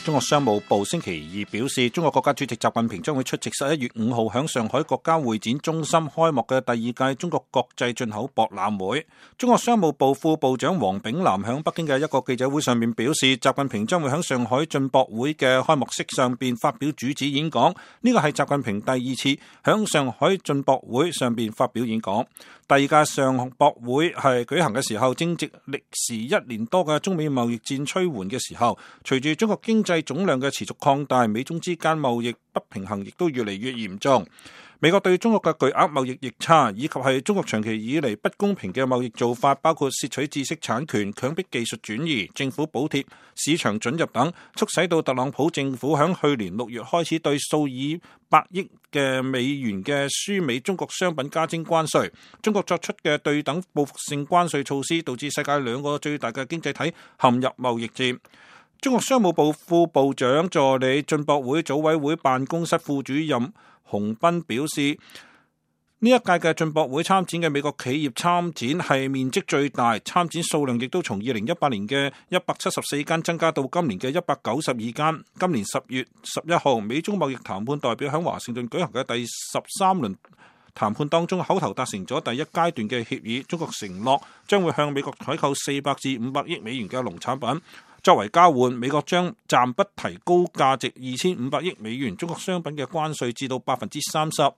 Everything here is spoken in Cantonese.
中國商務部星期二表示，中國國家主席習近平將會出席11月5號響上海國家會展中心開幕嘅第二屆中國國際進口博覽會。中國商務部副部長黃炳南響北京嘅一個記者會上面表示，習近平將會響上海進博會嘅開幕式上邊發表主旨演講，呢個係習近平第二次響上海進博會上邊發表演講。第二屆上博會係舉行嘅時候，正值歷時1年多嘅中美貿易戰趨緩嘅時候，隨住中國經濟總量嘅持續擴大，美中之間貿易不平衡亦都越嚟越嚴重。美國對中國嘅巨額貿易逆差，以及係中國長期以嚟不公平嘅貿易做法，包括竊取知識產權、強迫技術轉移、政府補貼、市場准入等，促使到特朗普政府響去年6月開始對數以百億嘅美元嘅輸美中國商品加徵關稅。中國作出嘅對等報復性關稅措施，導致世界2個最大嘅經濟體陷入貿易戰。中國商務部副部長助理、進博會組委會辦公室副主任洪斌表示，呢一屆嘅進博會參展嘅美國企業參展係面積最大，參展數量亦都從2018年嘅174間增加到今年嘅192間。今年10月11號，美中貿易談判代表喺華盛頓舉行嘅第13輪談判當中，口頭達成咗第一階段嘅協議。中國承諾將會向美國採購400至500億美元嘅農產品。作為交換，美國將暫不提高價值2500億美元中國商品嘅關稅至到30%。